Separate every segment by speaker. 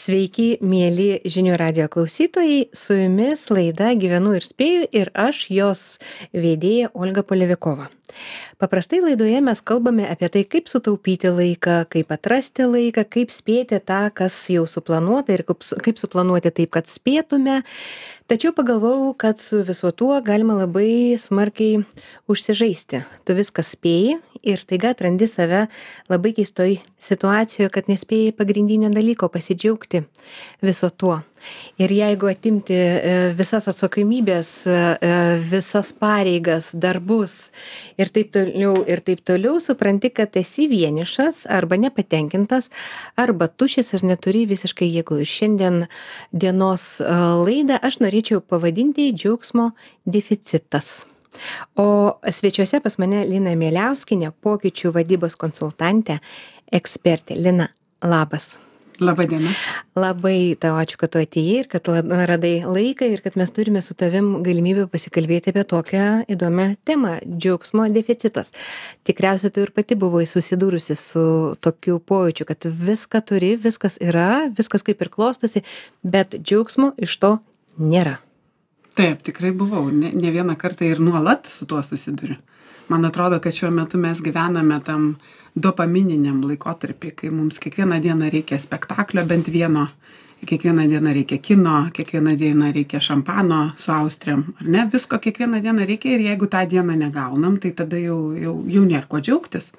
Speaker 1: Sveiki, mėly žinių radio klausytojai, su jumis laida Gyvenu ir spėju ir aš jos vedėja Olga Polevikova. Paprastai laidoje mes kalbame apie tai, kaip sutaupyti laiką, kaip atrasti laiką, kaip spėti tą, kas jau suplanuota ir kaip suplanuoti taip, kad spėtume. Tačiau pagalvojau, kad su viso tuo galima labai smarkiai užsižaisti. Tu viską spėji ir staiga atrandi save labai keistoj situacijoje, kad nespėjai pagrindinio dalyko pasidžiaugti viso tuo. Ir jeigu atimti visas atsakomybės, visas pareigas, darbus ir taip toliau, supranti, kad esi vienišas arba nepatenkintas, arba tuščias ir neturi visiškai jėgų. Ir šiandien dienos laidą aš norėčiau pavadinti džiaugsmo deficitas. O svečiuose pas mane Lina Mieliauskienė, pokyčių vadybos konsultantė, ekspertė. Lina, labas.
Speaker 2: Labą dieną.
Speaker 1: Labai tau ačiū, kad tu atėjai ir kad radai laiką ir kad mes turime su tavim galimybę pasikalbėti apie tokią įdomią temą - džiaugsmo deficitas. Tikriausiai tu ir pati buvai susidūrusi su tokiu pojūčiu, kad viską turi, viskas yra, viskas kaip ir klostosi, bet džiaugsmo iš to nėra.
Speaker 2: Taip, tikrai buvau. Ne vieną kartą ir nuolat su tuo susiduriu. Man atrodo, kad šiuo metu mes gyvename tam dopamininiam laikotarpį, kai mums kiekvieną dieną reikia spektaklio bent vieno, kiekvieną dieną reikia kino, kiekvieną dieną reikia šampano su austriam, ar ne? Visko kiekvieną dieną reikia ir jeigu tą dieną negaunam, tai tada jau nėra ko džiaugtis.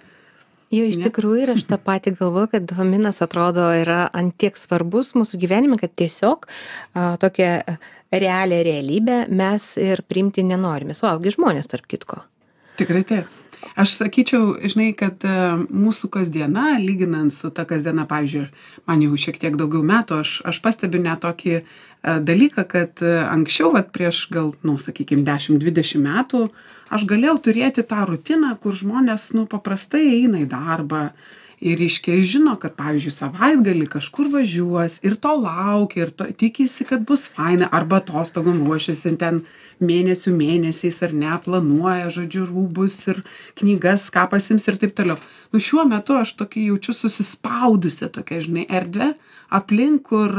Speaker 1: Jo, iš tikrųjų ir aš tą patį galvoju, kad dopaminas atrodo yra ant tiek svarbus mūsų gyvenime, kad tiesiog tokią realią realybę mes ir priimti nenorime. Suaugi žmonės, tarp kitko.
Speaker 2: Tikrai taip. Aš sakyčiau, žinai, kad mūsų kasdiena, lyginant su ta kasdiena, pavyzdžiui, man jau šiek tiek daugiau metų, aš pastebiu net tokį dalyką, kad anksčiau, prieš gal, sakykime, 10-20 metų, aš galėjau turėti tą rutiną, kur žmonės, paprastai eina į darbą ir iškiai žino, kad, pavyzdžiui, savaitgalį kažkur važiuos ir to laukia ir tikisi, kad bus faina, arba atostogom ruošiasi ten mėnesiais ar ne, planuoja, žodžiu, rūbus ir knygas, ką pasiims ir taip toliau. Šiuo metu aš tokį jaučiu susispaudusi tokia, žinai, erdvė aplink, kur,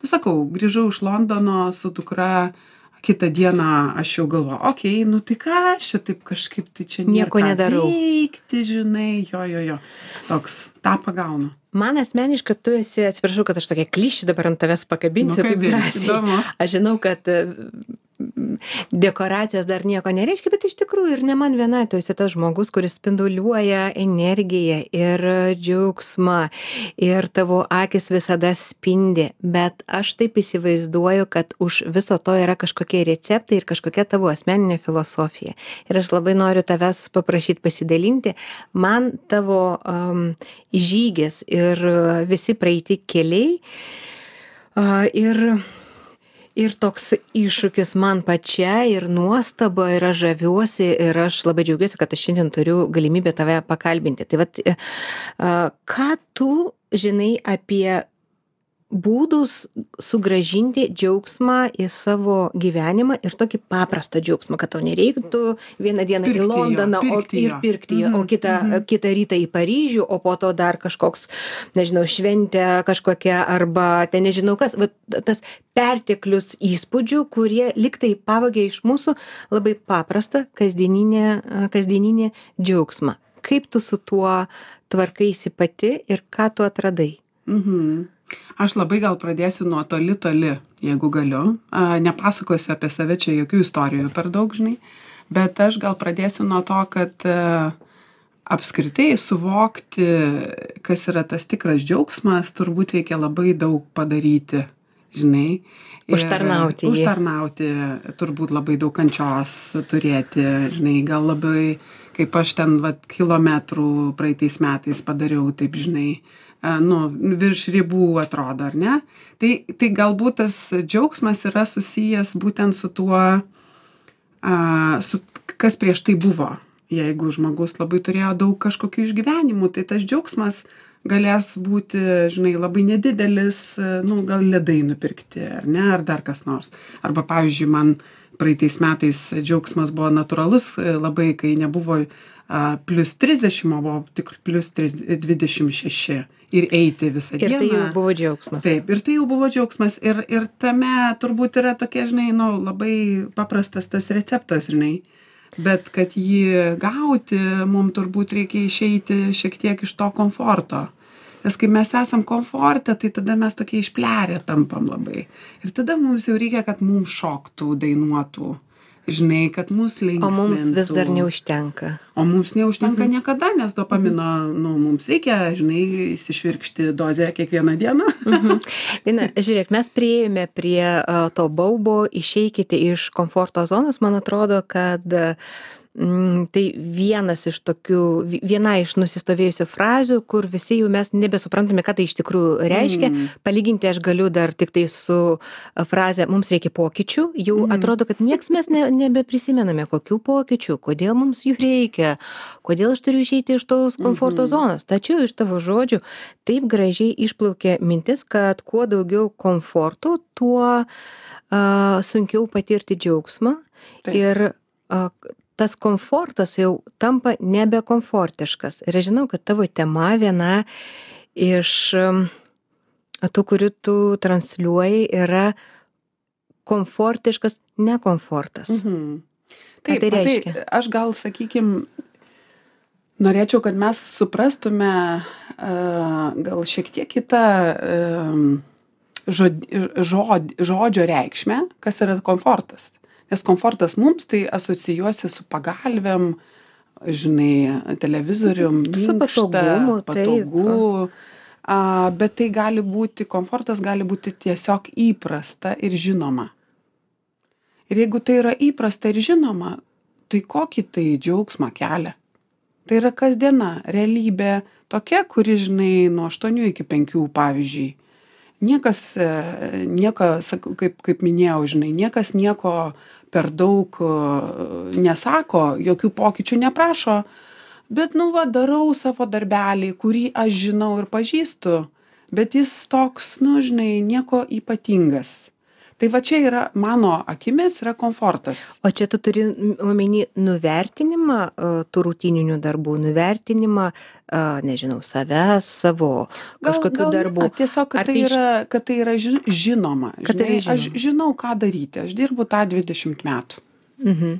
Speaker 2: sakau, grįžau iš Londono su dukra, kitą dieną aš jau galvoju, tai ką aš čia taip kažkaip, tai čia
Speaker 1: nieko nedarau.
Speaker 2: Veikti, žinai, jo. Toks, tą pagaunu.
Speaker 1: Man asmeniškai tu esi, atsiprašau, kad aš tokia klišį dabar ant tavęs pakabinsiu, taip drąsiai. Aš žinau, kad dekoracijos dar nieko nereiškia, bet iš tikrųjų ir ne man viena, tu esi tas žmogus, kuris spinduliuoja energiją ir džiaugsmą ir tavo akis visada spindi, bet aš taip įsivaizduoju, kad už viso to yra kažkokie receptai ir kažkokia tavo asmeninė filosofija. Ir aš labai noriu tavęs paprašyti pasidalinti. Man tavo žygis ir visi praeiti keliai ir toks iššūkis man pačiai ir nuostaba ir aš žaviuosi ir aš labai džiaugiuosi, kad aš šiandien turiu galimybę tave pakalbinti. Tai vat, ką tu žinai apie būdus sugrąžinti džiaugsmą į savo gyvenimą ir tokį paprastą džiaugsmą, kad tau nereiktų vieną dieną į Londoną ir pirkti jo, o kitą rytą į Paryžių, o po to dar kažkoks, nežinau, šventė kažkokia arba ten nežinau kas, tas perteklius įspūdžių, kurie liktai pavogė iš mūsų labai paprastą kasdieninį džiaugsmą. Kaip tu su tuo tvarkaisi pati ir ką tu atradai?
Speaker 2: Aš labai gal pradėsiu nuo toli, jeigu galiu. Nepasakosiu apie save čia jokių istorijų per daug, žinai, bet aš gal pradėsiu nuo to, kad apskritai suvokti, kas yra tas tikras džiaugsmas, turbūt reikia labai daug padaryti, žinai. Užtarnauti, turbūt labai daug kančios turėti, žinai, gal labai, kaip aš ten kilometrų praeitais metais padariau, taip, žinai, virš ribų atrodo, ar ne? Tai galbūt tas džiaugsmas yra susijęs būtent su tuo, kas prieš tai buvo. Jeigu žmogus labai turėjo daug kažkokių išgyvenimų, tai tas džiaugsmas galės būti, žinai, labai nedidelis, gal ledai nupirkti, ar ne, ar dar kas nors. Arba, pavyzdžiui, man praeitais metais džiaugsmas buvo natūralus labai, kai nebuvo plus 30, o buvo tik plus 26 ir eiti visą dieną.
Speaker 1: Ir tai jau buvo džiaugsmas.
Speaker 2: Taip, ir tai jau buvo džiaugsmas. Ir tame turbūt yra tokie, žinai, labai paprastas tas receptas, žinai. Bet kad jį gauti, mums turbūt reikia išeiti šiek tiek iš to komforto. Nes kai mes esam komforte, tai tada mes tokie išplerę tampam labai. Ir tada mums jau reikia, kad mums šoktų, dainuotų. Žinai, kad mus linksmintų.
Speaker 1: O mums vis dar neužtenka.
Speaker 2: O mums neužtenka niekada, nes dopamino, mums reikia, žinai, įsišvirkšti dozę kiekvieną dieną.
Speaker 1: Lina, žiūrėk, mes priėjome prie to baubo, išeikite iš komforto zonos. Man atrodo, kad tai viena iš nusistovėjusių frazių, kur visi jau mes nebesuprantame, ką tai iš tikrųjų reiškia. Palyginti aš galiu dar tik tai su fraze mums reikia pokyčių. Jau atrodo, kad nieks mes nebeprisimename, kokių pokyčių, kodėl mums jų reikia, kodėl aš turiu išeiti iš tos komforto zonos. Tačiau iš tavo žodžių taip gražiai išplaukė mintis, kad kuo daugiau komforto, tuo sunkiau patirti džiaugsmą. Taip. Ir tas komfortas jau tampa nebekomfortiškas. Ir aš žinau, kad tavo tema viena iš tų, kurių tu transliuoji, yra komfortiškas nekomfortas.
Speaker 2: Taip,
Speaker 1: tai reiškia?
Speaker 2: Tai aš gal, sakykime, norėčiau, kad mes suprastume gal šiek tiek kitą žodžio reikšmę, kas yra komfortas. Nes komfortas mums tai asocijuosi su pagalvėm, žinai, televizorium, minkšta, patogu. Bet tai gali būti, komfortas gali būti tiesiog įprasta ir žinoma. Ir jeigu tai yra įprasta ir žinoma, tai kokį tai džiaugsmą kelia? Tai yra kasdiena realybė tokia, kuri, žinai, nuo 8 iki 5, pavyzdžiui. Niekas, kaip minėjau, žinai, niekas nieko per daug nesako, jokių pokyčių neprašo, bet, darau savo darbelį, kurį aš žinau ir pažįstu, bet jis toks, žinai, nieko ypatingas. Tai va čia yra, mano akimis, yra komfortas.
Speaker 1: O čia tu turi omeny nuvertinimą tų rutininių darbų, nuvertinimą, nežinau, savęs, savo kažkokių darbų.
Speaker 2: Tiesiog, kad tai yra žinoma. Žinai, aš žinau, ką daryti. Aš dirbu tą 20 metų.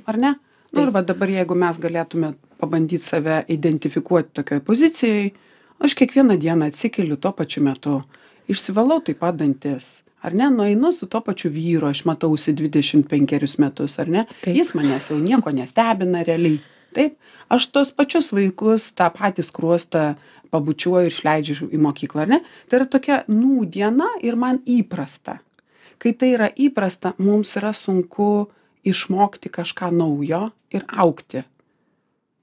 Speaker 2: Ar ne? Ir va dabar, jeigu mes galėtume pabandyti save identifikuoti tokioj pozicijai, aš kiekvieną dieną atsikeliu tuo pačiu metu, išsivalau taip pat dantis. Ar ne, nueinu su to pačiu vyru, aš matausi 25 metus, ar ne? Taip. Jis manęs jau nieko nestebina realiai. Taip, aš tos pačius vaikus, tą patį skruostą pabučiuoju ir išleidžiu į mokyklą, ar ne? Tai yra tokia nūdiena ir man įprasta. Kai tai yra įprasta, mums yra sunku išmokti kažką naujo ir augti.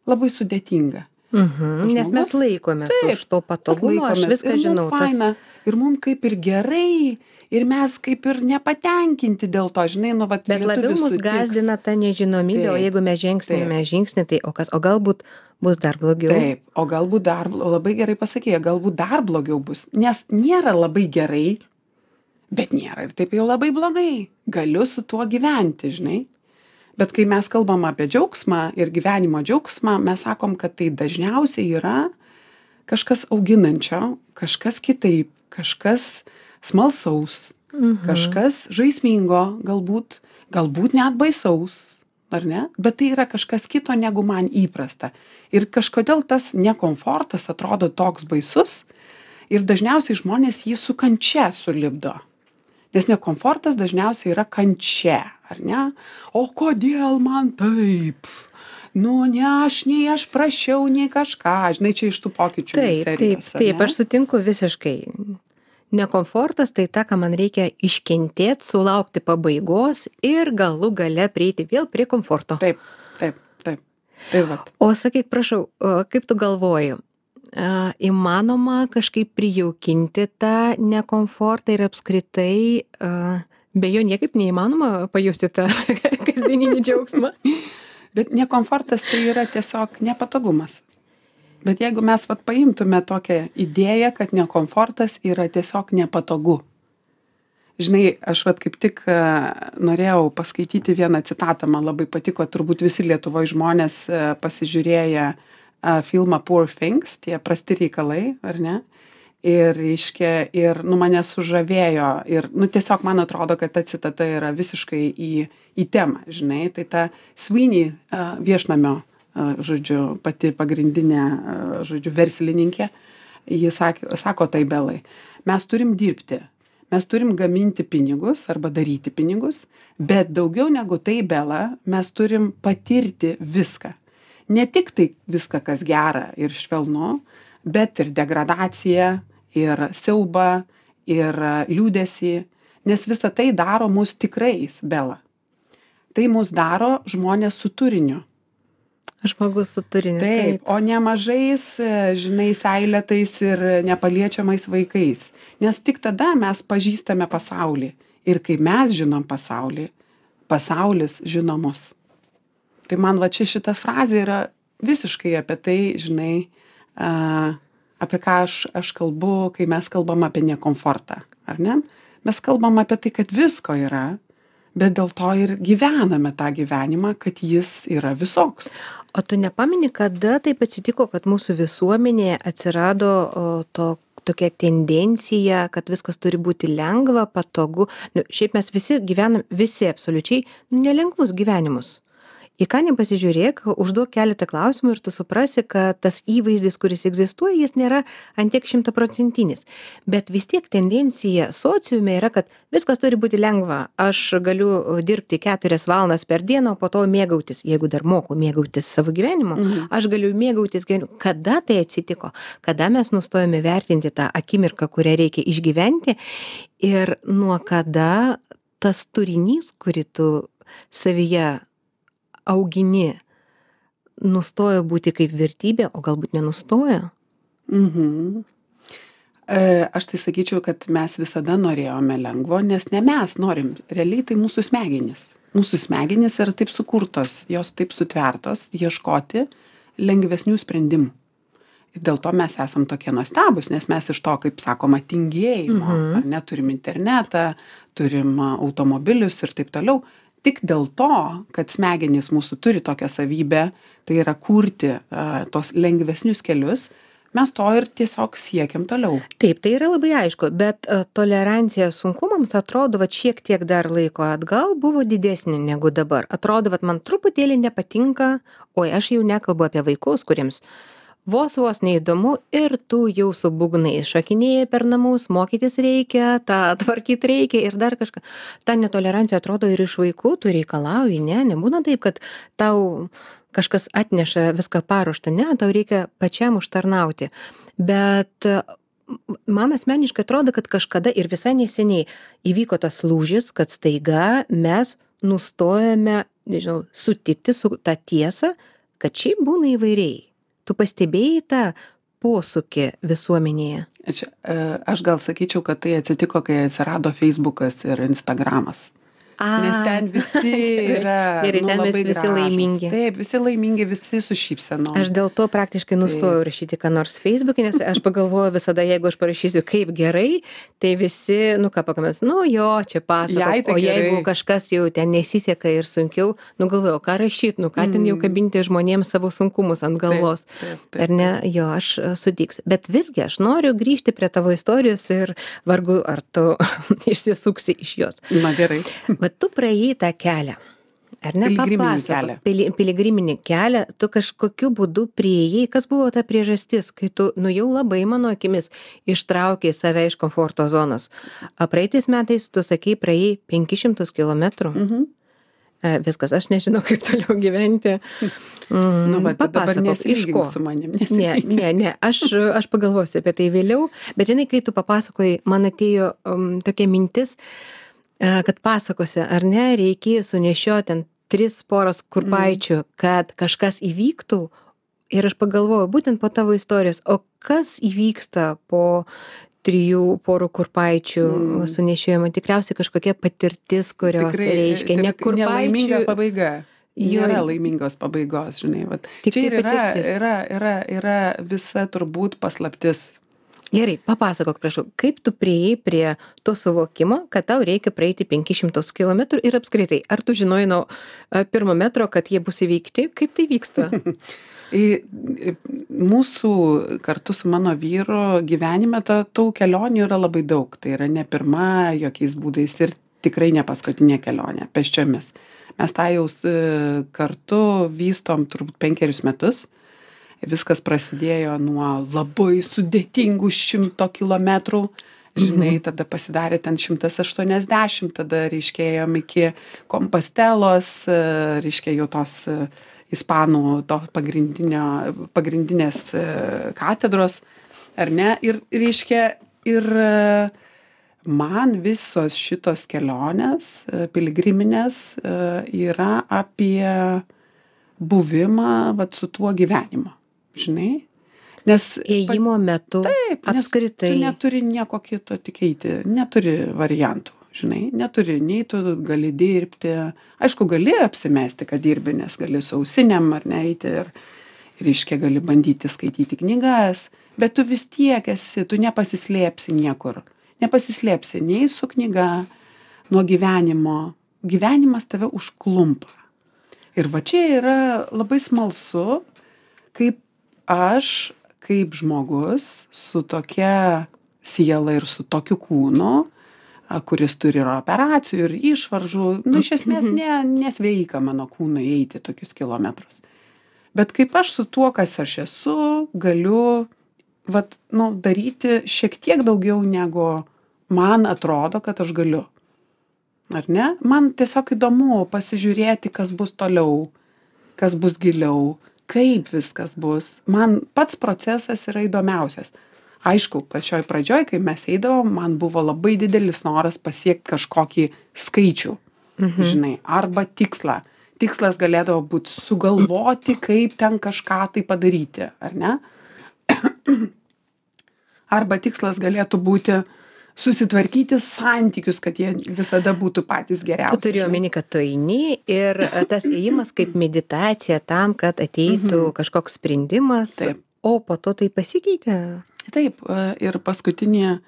Speaker 2: Labai sudėtinga.
Speaker 1: Nes mes laikomės už to patogumo, aš viską žinau.
Speaker 2: Faina, ir mums kaip ir gerai, ir mes kaip ir nepatenkinti dėl to, žinai,
Speaker 1: Bet labiau mus gazdina ta nežinomybė, o jeigu mes žengsime žingsnį, tai o galbūt bus dar blogiau.
Speaker 2: Taip, o galbūt labai gerai pasakė, galbūt dar blogiau bus, nes nėra labai gerai, bet nėra ir taip jau labai blogai. Galiu su tuo gyventi, žinai. Bet kai mes kalbam apie džiaugsmą ir gyvenimo džiaugsmą, mes sakom, kad tai dažniausiai yra kažkas auginančio, kažkas kitaip, kažkas smalsaus, kažkas žaismingo, galbūt net baisaus, ar ne? Bet tai yra kažkas kito, negu man įprasta. Ir kažkodėl tas nekomfortas atrodo toks baisus ir dažniausiai žmonės jį su kančia sulipdo. Nes nekomfortas dažniausiai yra kančia, ar ne? O kodėl man taip? Nei aš prašiau, nei kažką. Žinai, čia iš tų pokyčių serijos.
Speaker 1: Taip, aš sutinku visiškai. Nekomfortas tai ta, ką man reikia iškentėti, sulaukti pabaigos ir galų gale prieiti vėl prie komforto.
Speaker 2: Taip. Vat.
Speaker 1: O sakyk, prašau, kaip tu galvoji? Įmanoma kažkaip prijaukinti tą nekomfortą ir apskritai be jo niekaip neįmanoma pajusti tą kasdieninį džiaugsmą.
Speaker 2: Bet nekomfortas tai yra tiesiog nepatogumas. Bet jeigu mes paimtume tokią idėją, kad nekomfortas yra tiesiog nepatogu. Žinai, aš vat kaip tik norėjau paskaityti vieną citatą, man labai patiko, turbūt visi Lietuvoje žmonės pasižiūrėję filmą Poor Things, tie prasti reikalai, ar ne? Ir reiškia, ir mane sužavėjo, ir tiesiog man atrodo, kad ta citata yra visiškai į temą, žinai, tai ta Sweeney viešnamio, žodžiu, pati pagrindinė, žodžiu, verslininkė, ji sako tai Belai, mes turim dirbti. Mes turim gaminti pinigus arba daryti pinigus, bet daugiau negu tai, Bela, mes turim patirti viską. Ne tik tai viską, kas gera ir švelnu, bet ir degradaciją, ir siaubą, ir liūdesį, nes visa tai daro mus tikrais, Bela. Tai mus daro žmonės su turiniu.
Speaker 1: Žmogus su turiniu.
Speaker 2: Taip, o ne mažais, žinai, seilėtais ir nepaliečiamais vaikais. Nes tik tada mes pažįstame pasaulį. Ir kai mes žinom pasaulį, pasaulis žino mus. Tai man va čia šita frazė yra visiškai apie tai, žinai, apie ką aš kalbu, kai mes kalbam apie nekomfortą, ar ne? Mes kalbam apie tai, kad visko yra, bet dėl to ir gyvename tą gyvenimą, kad jis yra visoks.
Speaker 1: O tu nepameni, kada taip atsitiko, kad mūsų visuomenėje atsirado tokia tendencija, kad viskas turi būti lengva, patogu. Šiaip mes visi gyvenam, visi absoliučiai nelengvus gyvenimus. Į ką nepasižiūrėk, užduok keletą klausimų ir tu suprasi, kad tas įvaizdis, kuris egzistuoja, jis nėra ant tiek 100%. Bet vis tiek tendencija sociume yra, kad viskas turi būti lengva. Aš galiu dirbti 4 valandas per dieną, o po to mėgautis, jeigu dar moku mėgautis savo gyvenimu, aš galiu mėgautis gyvenimu. Kada tai atsitiko? Kada mes nustojame vertinti tą akimirką, kurią reikia išgyventi ir nuo kada tas turinys, kurį tu savyje augini, nustojo būti kaip vertybė, o galbūt nenustojo?
Speaker 2: Aš tai sakyčiau, kad mes visada norėjome lengvo, nes ne mes norim, realiai tai mūsų smegenys. Mūsų smegenys yra taip sukurtos, jos taip sutvertos, ieškoti lengvesnių sprendimų. Ir dėl to mes esam tokie nuostabūs, nes mes iš to, kaip sakoma, tingėjimo, ar ne, turim internetą, turim automobilius ir taip toliau. Tik dėl to, kad smegenys mūsų turi tokią savybę, tai yra kurti tos lengvesnius kelius, mes to ir tiesiog siekiam toliau.
Speaker 1: Taip, tai yra labai aišku, bet tolerancija sunkumams atrodo, va šiek tiek dar laiko atgal buvo didesnė negu dabar. Atrodo, va man truputėlį nepatinka, oi aš jau nekalbu apie vaikus, kuriems vos neįdomu ir tu jau su būgnais šokinėji per namus, mokytis reikia, tą tvarkyti reikia ir dar kažką. Ta netolerancija atrodo ir iš vaikų, tu reikalauji, nebūna taip, kad tau kažkas atneša viską paruoštą, tau reikia pačiam užtarnauti. Bet man asmeniškai atrodo, kad kažkada ir visai neseniai įvyko tas lūžis, kad staiga mes nustojame, sutikti su tą tiesą, kad šiaip būna įvairiai. Tu pastebėjai tą posūkį visuomenėje?
Speaker 2: Aš gal sakyčiau, kad tai atsitiko, kai atsirado Facebookas ir Instagramas. Nes ten visi yra
Speaker 1: ir ten
Speaker 2: labai
Speaker 1: visi
Speaker 2: gražūs.
Speaker 1: laimingi.
Speaker 2: Taip, visi laimingi, visi su šypsenom.
Speaker 1: Aš dėl to praktiškai nustojau rašyti ką nors Facebook'e, nes aš pagalvoju visada, jeigu aš parašysiu kaip gerai, tai visi, ką pakomentuos, jo, čia pasakot,
Speaker 2: tai
Speaker 1: o jeigu
Speaker 2: gerai.
Speaker 1: kažkas jau ten nesiseka ir sunkiau, galvoju, ką rašyti, ką ten jau kabinti žmonėms savo sunkumus ant galvos.
Speaker 2: Taip.
Speaker 1: Ar ne? Jo, aš sutiksiu. Bet visgi aš noriu grįžti prie tavo istorijos ir vargu, ar tu išsisuksi iš jos.
Speaker 2: Na gerai.
Speaker 1: Bet tu praėjai tą kelią, ar ne?
Speaker 2: Piligriminį kelią.
Speaker 1: Piligriminį kelią, tu kažkokiu būdu priėjai, kas buvo ta priežastis, kai tu, jau labai mano akimis, ištraukei save iš komforto zonos. Praeitais metais tu sakei, praėjai 500 kilometrų. Viskas, aš nežinau, kaip toliau gyventi.
Speaker 2: Dabar nesilygink su manim.
Speaker 1: Ne, aš pagalvosiu apie tai vėliau, bet žinai, kai tu papasakojai, man atėjo tokia mintis, kad pasakose, ar ne, reikėjo sunešioti ten 3 poras kurpaičių, kad kažkas įvyktų. Ir aš pagalvojau, būtent po tavo istorijos, o kas įvyksta po 3 porų kurpaičių sunešiojimo? Tikriausiai kažkokia patirtis, kurios reiškia ne kurpaičių.
Speaker 2: Nelaiminga pabaiga. Nėra laimingos pabaigos, žinai. Čia ir yra visa turbūt paslaptis.
Speaker 1: Gerai, papasakok, prašau, kaip tu priėjai prie to suvokimo, kad tau reikia praeiti 500 kilometrų ir apskritai, ar tu žinojai nuo pirmo metro, kad jie bus įveikti? Kaip tai vyksta?
Speaker 2: Mūsų kartu su mano vyru gyvenime tų kelionių yra labai daug. Tai yra ne pirma jokiais būdais ir tikrai ne paskutinė kelionė pėsčiomis. Mes tą jau kartu vystom turbūt 5 metus. Viskas prasidėjo nuo labai sudėtingų 100 kilometrų. Žinai, tada pasidarė ten 180, tada reiškėjom iki Kompostelos, reiškia jau tos ispanų to pagrindinės katedros, ar ne? Ir reiškia, ir man visos šitos kelionės piligriminės yra apie buvimą vat su tuo gyvenimu, žinai? Nes
Speaker 1: ėjimo metu
Speaker 2: taip,
Speaker 1: apskritai.
Speaker 2: Tu neturi nieko kito tik eiti, neturi variantų, žinai, neturi, nei tu gali dirbti, aišku, gali apsimesti, kad dirbi, nes gali su ausinėm ar neiti ir reiškia gali bandyti skaityti knygas, bet tu vis tiek esi, tu nepasislėpsi niekur, nepasislėpsi nei su knyga, nuo gyvenimo, gyvenimas tave užklumpa. Ir va čia yra labai smalsu, kaip aš, kaip žmogus su tokia siela ir su tokiu kūnu, kuris turi ir operacijų, ir išvaržų, iš esmės nesveika mano kūnui eiti tokius kilometrus. Bet kaip aš su tuo, kas aš esu, galiu daryti šiek tiek daugiau, negu man atrodo, kad aš galiu. Ar ne? Man tiesiog įdomu pasižiūrėti, kas bus toliau, kas bus giliau, kaip viskas bus. Man pats procesas yra įdomiausias. Aišku, pačioj pradžioj, kai mes eidavom, man buvo labai didelis noras pasiekti kažkokį skaičių, žinai, arba tikslą. Tikslas galėdavo būti sugalvoti, kaip ten kažką tai padaryti, ar ne? Arba tikslas galėtų būti susitvarkyti santykius, kad jie visada būtų patys geriausi.
Speaker 1: Tu turi omeny, kad tu eini ir tas ėjimas kaip meditacija tam, kad ateitų kažkoks sprendimas,
Speaker 2: Taip.
Speaker 1: O po to tai pasikeitė.
Speaker 2: Taip, ir paskutinį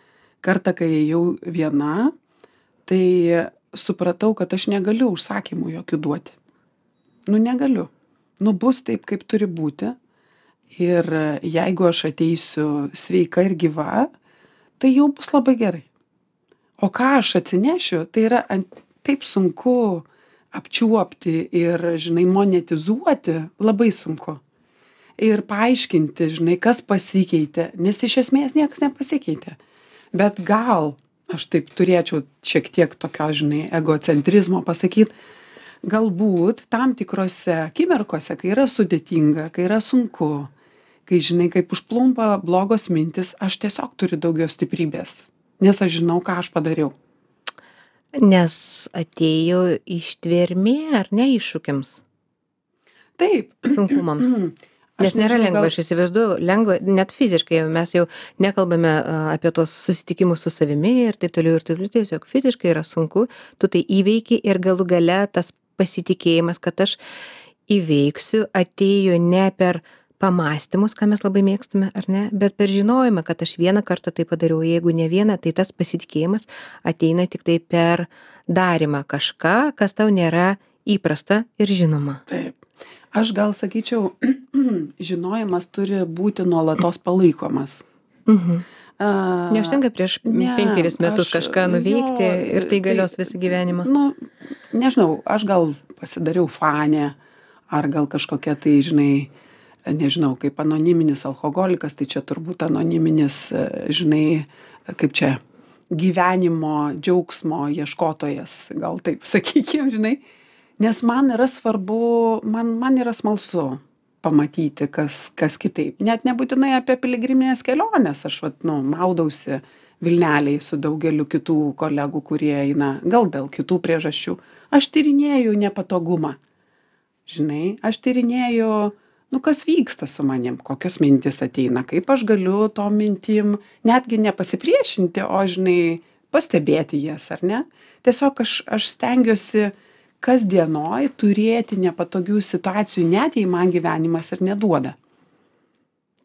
Speaker 2: kartą, kai ėjau viena, tai supratau, kad aš negaliu užsakymų jokių duoti. Negaliu. Bus taip, kaip turi būti. Ir jeigu aš ateisiu sveika ir gyva, tai jau bus labai gerai. O ką aš atsinešiu, tai yra taip sunku apčiuopti ir, žinai, monetizuoti, labai sunku. Ir paaiškinti, žinai, kas pasikeitė, nes iš esmės niekas nepasikeitė. Bet gal aš taip turėčiau šiek tiek tokio, žinai, egocentrizmo pasakyti, galbūt tam tikrose akimirkose, kai yra sudėtinga, kai yra sunku, kai, žinai, kaip užplumpa blogos mintis, aš tiesiog turiu daugiau stiprybės, nes aš žinau, ką aš padariau.
Speaker 1: Nes atėjo ištvermė, ar ne, iššūkiams?
Speaker 2: Taip.
Speaker 1: Sunkumams. Nes nėra lengva, aš įsivaizduoju, lengva, net fiziškai, mes jau nekalbame apie tuos susitikimus su savimi ir taip toliau, tiesiog fiziškai yra sunku, tu tai įveiki ir galų gale tas pasitikėjimas, kad aš įveiksiu, atėjo ne per pamąstymus, ką mes labai mėgstame, ar ne, bet per žinojimą, kad aš vieną kartą tai padariau, jeigu ne vieną, tai tas pasitikėjimas ateina tik tai per darymą kažką, kas tau nėra įprasta ir žinoma.
Speaker 2: Taip. Aš gal sakyčiau, žinojimas turi būti nuolatos palaikomas.
Speaker 1: Neužtenka prieš 5 metus kažką nuveikti ir tai galios visą gyvenimą.
Speaker 2: Nežinau, aš gal pasidariau fanė, ar gal kažkokia tai, žinai, nežinau, kaip anoniminis alkoholikas, tai čia turbūt anoniminis, žinai, kaip čia, gyvenimo, džiaugsmo ieškotojas, gal taip sakykim, žinai. Nes man yra svarbu, man yra smalsu pamatyti, kas kitaip. Net nebūtinai apie piligriminės kelionės. Aš maudausi Vilnelėj su daugeliu kitų kolegų, kurie eina, gal dėl kitų priežasčių. Aš tyrinėju nepatogumą. Žinai, aš tyrinėju, kas vyksta su manim, kokios mintis ateina, kaip aš galiu tom mintim netgi nepasipriešinti, o, žinai, pastebėti jas, ar ne? Tiesiog aš stengiuosi kasdienoj turėti nepatogių situacijų, net jei man gyvenimas ir neduoda.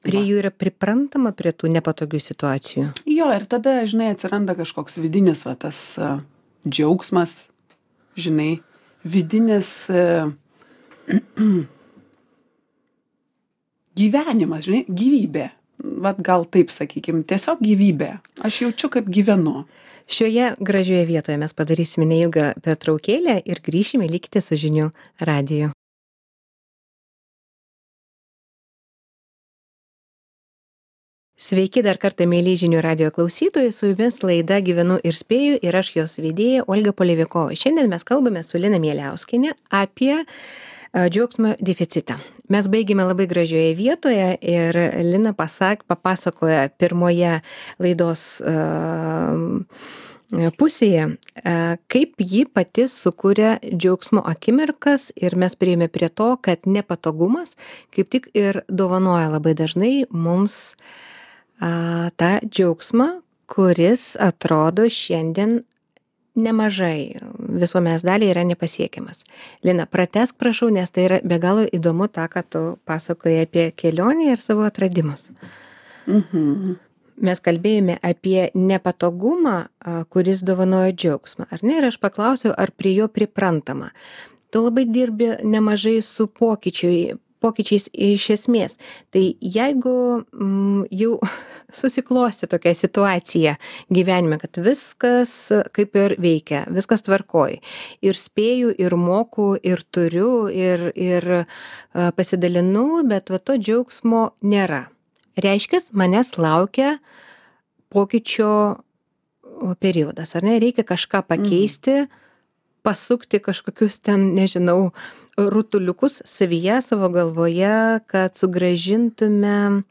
Speaker 1: Prie jų yra priprantama prie tų nepatogių situacijų.
Speaker 2: Jo, ir tada, žinai, atsiranda kažkoks vidinis, va, tas džiaugsmas, žinai, vidinis gyvenimas, žinai, gyvybė. Vat gal taip sakykim, tiesiog gyvybė. Aš jaučiu, kaip gyvenu.
Speaker 1: Šioje gražioje vietoje mes padarysime neilgą pertraukėlę ir grįšime, likite su žinių radiju. Sveiki dar kartą, mėly žinių radijo klausytojai, su jumis laida Gyvenu ir spėju ir aš jos vedėja Olga Polevikova. Šiandien mes kalbame su Lina Mieliauskiene apie džiaugsmo deficitą. Mes baigėme labai gražioje vietoje ir Lina papasakoja pirmoje laidos pusėje, kaip ji pati sukūrė džiaugsmo akimirkas ir mes priėjome prie to, kad nepatogumas kaip tik ir dovanoja labai dažnai mums tą džiaugsmą, kuris atrodo šiandien nemažai visuomenės daliai yra nepasiekiamas. Lina, pratęsk prašau, nes tai yra be galo įdomu tą, ką tu pasakoji apie kelionę ir savo atradimus. Mes kalbėjome apie nepatogumą, kuris dovanoja džiaugsmą, ar ne? Ir aš paklausiau, ar prie jo priprantama. Tu labai dirbi nemažai su pokyčiais iš esmės. Tai jeigu jau susiklosti tokia situacija gyvenime, kad viskas kaip ir veikia, viskas tvarkoj, ir spėju, ir moku, ir turiu, ir pasidalinu, bet va to džiaugsmo nėra. Reiškia, manęs laukia pokyčio periodas, ar ne? Reikia kažką pakeisti, pasukti kažkokius ten, nežinau, rutuliukus savyje, savo galvoje, kad sugrąžintume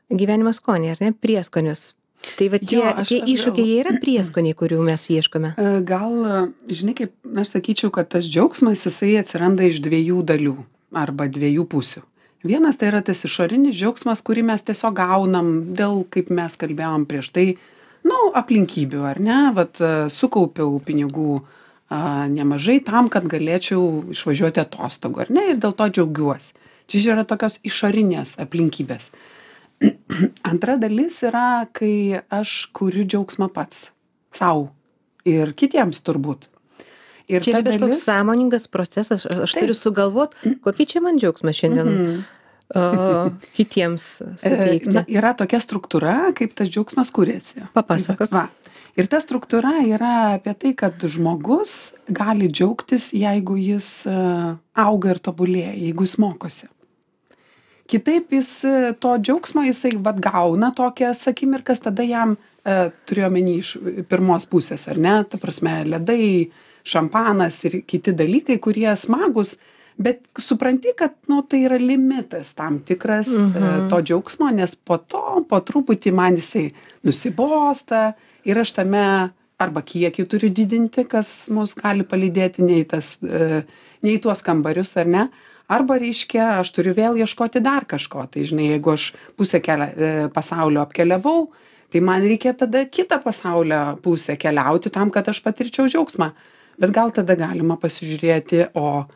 Speaker 1: gyvenimo skonį, ar ne? Prieskonius. Tai va tie iššūkiai yra prieskoniai, kurių mes ieškome.
Speaker 2: Gal, žinai, kaip aš sakyčiau, kad tas džiaugsmas, jisai atsiranda iš dviejų dalių arba dviejų pusių. Vienas tai yra tas išorinis džiaugsmas, kurį mes tiesiog gaunam dėl, kaip mes kalbėjom prieš tai, aplinkybių, ar ne? Vat sukaupiau pinigų nemažai tam, kad galėčiau išvažiuoti atostogų, ar ne? Ir dėl to džiaugiuosi. Čia yra tokios išorinės aplinkybės. Antra dalis yra, kai aš kuriu džiaugsmą pats sau ir kitiems turbūt. Ir
Speaker 1: čia yra kažkoks sąmoningas procesas, aš turiu sugalvoti, kokį čia man džiaugsmą šiandien kitiems suteikti.
Speaker 2: Yra tokia struktūra, kaip tas džiaugsmas kuriasi.
Speaker 1: Papasakok.
Speaker 2: Ir ta struktūra yra apie tai, kad žmogus gali džiaugtis, jeigu jis auga ir tobulėja, jeigu jis mokosi. Kitaip jis to džiaugsmo jisai gauna tokias akimirkas, tada jam turėjo omeny iš pirmos pusės, ar ne? Ta prasme, ledai, šampanas ir kiti dalykai, kurie smagus, bet supranti, kad tai yra limitas tam tikras to džiaugsmo, nes po truputį man jisai nusibosta ir aš tame arba kiekį turiu didinti, kas mus gali palydėti ne į tuos kambarius, ar ne? Arba reiškia, aš turiu vėl ieškoti dar kažko. Tai žinai, jeigu aš pusę pasaulio apkeliavau, tai man reikia tada kitą pasaulio pusę keliauti tam, kad aš patirčiau džiaugsmą. Bet gal tada galima pasižiūrėti, o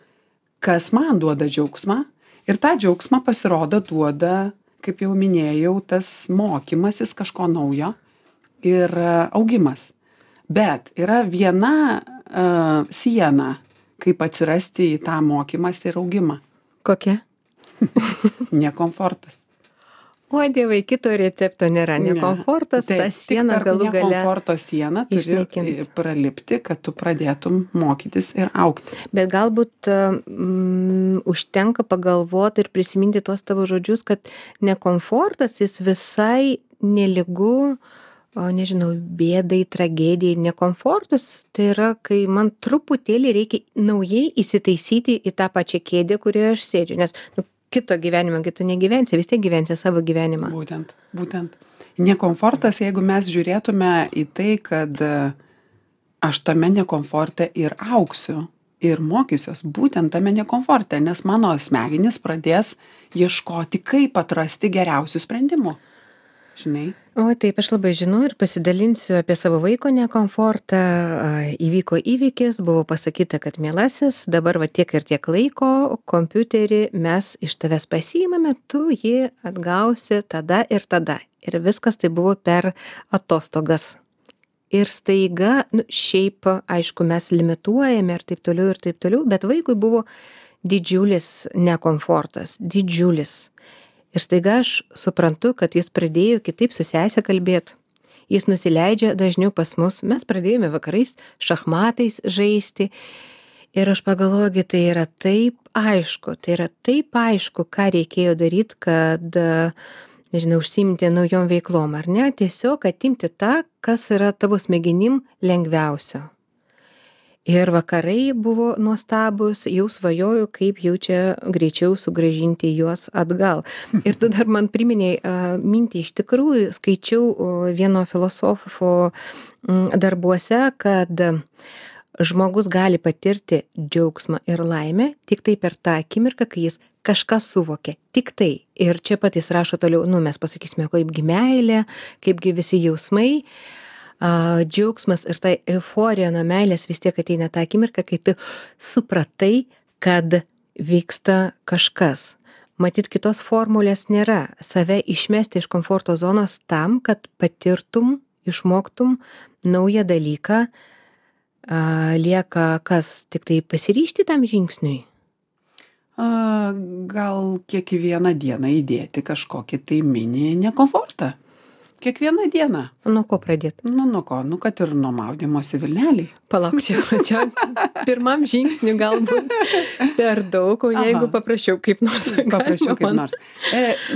Speaker 2: kas man duoda džiaugsmą. Ir tą džiaugsmą pasirodo duoda, kaip jau minėjau, tas mokymasis kažko naujo ir augimas. Bet yra viena siena, kaip atsirasti į tą mokymąsi ir augimą.
Speaker 1: Kokia?
Speaker 2: Nekomfortas.
Speaker 1: O dievai, kito recepto nėra. Nekomfortas, ta siena galų gale.
Speaker 2: Nekomforto siena turi pralipti, kad tu pradėtum mokytis ir augti.
Speaker 1: Bet galbūt užtenka pagalvoti ir prisiminti tuos tavo žodžius, kad nekomfortas jis visai nelygu, nežinau, bėdai, tragedijai, nekomfortas. Tai yra, kai man truputėlį reikia naujai įsitaisyti į tą pačią kėdę, kurioje aš sėdžiu. Nes kito gyvenimo, tu negyvensi, vis tiek gyvensi savo gyvenimą.
Speaker 2: Būtent. Nekomfortas, jeigu mes žiūrėtume į tai, kad aš tame nekomforte ir augsiu ir mokysiuos būtent tame nekomforte, nes mano smegenys pradės ieškoti, kaip atrasti geriausių sprendimų. žinai.
Speaker 1: O taip, aš labai žinau ir pasidalinsiu apie savo vaiko nekomfortą. Įvyko įvykis, buvo pasakyta, kad mielasis, dabar va tiek ir tiek laiko, kompiuterį mes iš tavęs pasiimame, tu jį atgausi tada ir tada. Ir viskas tai buvo per atostogas. Ir staiga, šiaip, aišku, mes limituojame ir taip toliau, bet vaikui buvo didžiulis nekomfortas, didžiulis. Ir staiga aš suprantu, kad jis pradėjo kitaip su sese kalbėti. Jis nusileidžia dažniau pas mus. Mes pradėjome vakarais šachmatais žaisti. Ir aš pagalvoju, tai yra taip aišku, ką reikėjo daryti, kad, nežinau, užsiimti naujom veiklom, ar ne? Tiesiog atimti tą, kas yra tavo smegenim lengviausio. Ir vakarai buvo nuostabus, jau svajoju, kaip jau čia greičiau sugrąžinti juos atgal. Ir tu dar man priminėjai mintį, iš tikrųjų skaičiau vieno filosofo darbuose, kad žmogus gali patirti džiaugsmą ir laimę tik tai per tą akimirką, kai jis kažką suvokia. Tik tai. Ir čia pat jis rašo toliau, mes pasakysime, kaipgi meilė, kaipgi visi jausmai. Džiaugsmas ir tai euforija nuo meilės vis tiek ateina tą akimirką, kai tu supratai, kad vyksta kažkas. Matyt, kitos formulės nėra. Save išmesti iš komforto zonos tam, kad patirtum, išmoktum naują dalyką, lieka kas, tik tai pasiryžti tam žingsniui?
Speaker 2: Gal kiekvieną dieną įdėti kažkokį tai mini nekomfortą. Kiekvieną dieną.
Speaker 1: Nuo ko pradėti?
Speaker 2: Nuo ko? Kad ir nuo maudymosi vilnelį.
Speaker 1: Palauk, čia pirmam žingsniui galbūt per daug, o jeigu paprašiau kaip nors.
Speaker 2: Paprašiau kaip nors.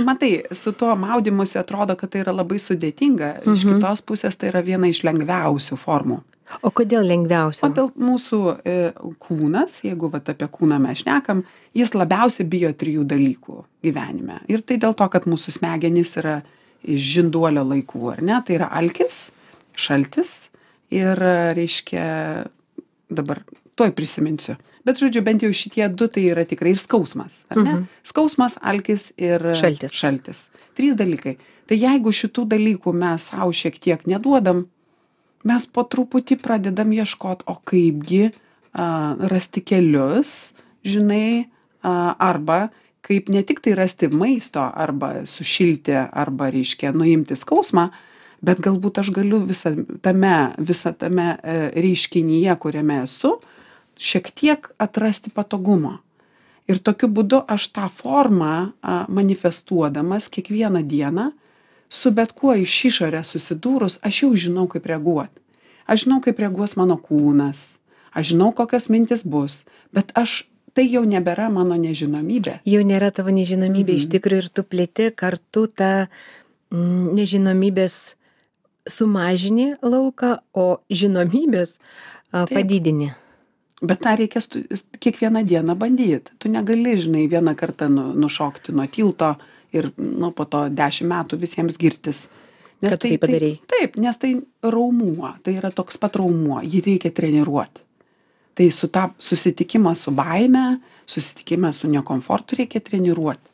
Speaker 2: Matai, su tuo maudymusi atrodo, kad tai yra labai sudėtinga. Iš kitos pusės tai yra viena iš lengviausių formų.
Speaker 1: O kodėl lengviausia?
Speaker 2: Kodėl mūsų kūnas, jeigu apie kūną mes šnekam, jis labiausiai bijo 3 dalykų gyvenime. Ir tai dėl to, kad mūsų smegenys yra iš žinduolio laikų, ar ne? Tai yra alkis, šaltis ir, reiškia, dabar tuoj prisiminsiu. Bet, žodžiu, bent jau šitie 2 tai yra tikrai ir skausmas, ar ne? Skausmas, alkis ir šaltis. 3 dalykai. Tai jeigu šitų dalykų mes savo šiek tiek neduodam, mes po truputį pradedam ieškoti, o kaipgi rasti kelius, žinai, arba kaip ne tik tai rasti maisto, arba sušilti, arba, reiškia, nuimti skausmą, bet galbūt aš galiu visą tame reiškinyje, kuriame esu, šiek tiek atrasti patogumo. Ir tokiu būdu aš tą formą manifestuodamas kiekvieną dieną, su bet kuo iš išorės susidūrus, aš jau žinau, kaip reaguoti. Aš žinau, kaip reaguos mano kūnas, aš žinau, kokios mintis bus, bet tai jau nebėra mano nežinomybė.
Speaker 1: Jau nėra tavo nežinomybė, iš tikrųjų, ir tu plėti kartu tą nežinomybės sumažini lauką, o žinomybės padidini.
Speaker 2: Bet tą reikės kiekvieną dieną bandyti. Tu negali, žinai, vieną kartą nušokti nuo tilto ir po to 10 metų visiems girtis.
Speaker 1: Kad tai padarei.
Speaker 2: Taip, nes tai raumuo, tai yra toks pat raumuo, jį reikia treniruoti. Tai susitikimą su baime, susitikimą su nekomfortu reikia treniruoti.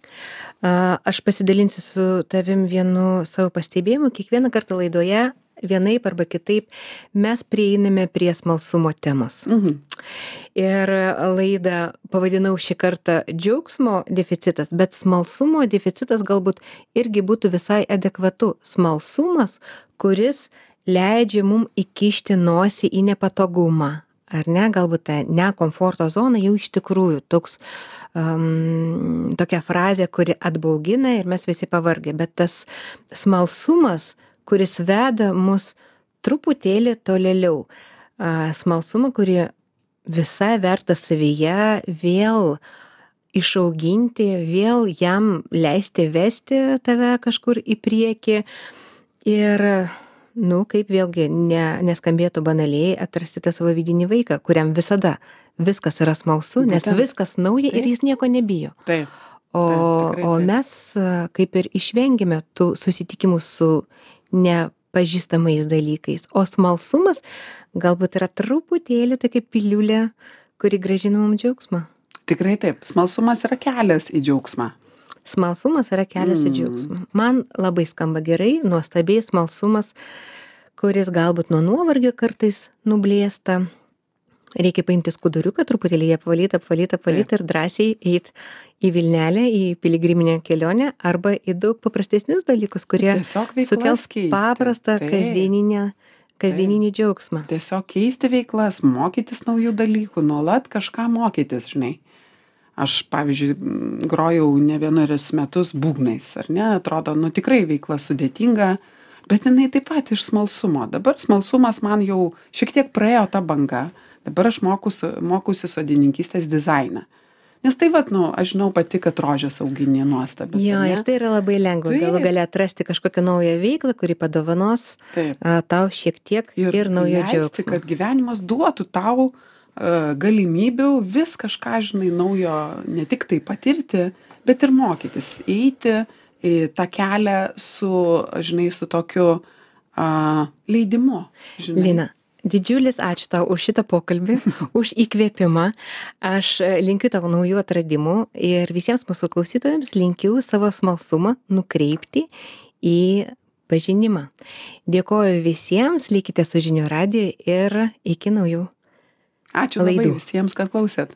Speaker 1: Aš pasidalinsiu su tavim vienu savo pastebėjimu. Kiekvieną kartą laidoje vienaip arba kitaip mes prieiname prie smalsumo temos. Ir laidą pavadinau šį kartą džiaugsmo deficitas, bet smalsumo deficitas galbūt irgi būtų visai adekvatu. Smalsumas, kuris leidžia mum įkišti nosį į nepatogumą. Ar ne, galbūt ta nekomforto zona jau iš tikrųjų tokia frazė, kuri atbaugina ir mes visi pavargę, bet tas smalsumas, kuris veda mus truputėlį tolėliau, smalsumą, kurį visai verta savyje vėl išauginti, vėl jam leisti vesti tave kažkur į priekį ir kaip vėlgi neskambėtų banaliai, atrasti tą savo vidinį vaiką, kuriam visada viskas yra smalsu, nes viskas nauja ir jis nieko nebijo.
Speaker 2: Taip.
Speaker 1: O mes kaip ir išvengėme tų susitikimų su nepažįstamais dalykais. O smalsumas galbūt yra truputėlį tokia piliulė, kuri grąžina mums džiaugsmą.
Speaker 2: Tikrai taip. Smalsumas yra kelias į džiaugsmą.
Speaker 1: Smalsumas yra kelias į džiaugsmą. Man labai skamba gerai, nuostabiai smalsumas, kuris galbūt nuo nuovargio kartais nublėsta. Reikia paimti skuduriuką, truputėlį ją apvalyti ir drąsiai eit į Vilnelę, į piligriminę kelionę arba į daug paprastesnius dalykus, kurie sukels paprastą kasdieninį džiaugsmą.
Speaker 2: Tiesiog keisti veiklas, mokytis naujų dalykų, nuolat kažką mokytis, žinai. Aš, pavyzdžiui, grojau ne vienerius metus būgnais, ar ne? Atrodo, tikrai veikla sudėtinga, bet jinai taip pat iš smalsumo. Dabar smalsumas man jau šiek tiek praėjo tą bangą. Dabar aš mokusi sodininkystės dizainą. Nes tai aš žinau pati, kad rožės auginė nuostabės.
Speaker 1: Jo, ir tai yra labai lengva. Galų gali atrasti kažkokią naują veiklą, kuri padovanos tau šiek tiek ir naujo džiaugsmo.
Speaker 2: Kad gyvenimas duotų tau galimybių vis kažką, žinai, naujo ne tik tai patirti, bet ir mokytis. Eiti į tą kelią su tokiu leidimu. Žinai.
Speaker 1: Lina, didžiulis ačiū tau už šitą pokalbį, už įkvėpimą. Aš linkiu tau naujų atradimų ir visiems mūsų klausytojams linkiu savo smalsumą nukreipti į pažinimą. Dėkoju visiems, likite su Žinių radiju ir iki naujų
Speaker 2: Ačiū labai visiems, kad klausėt.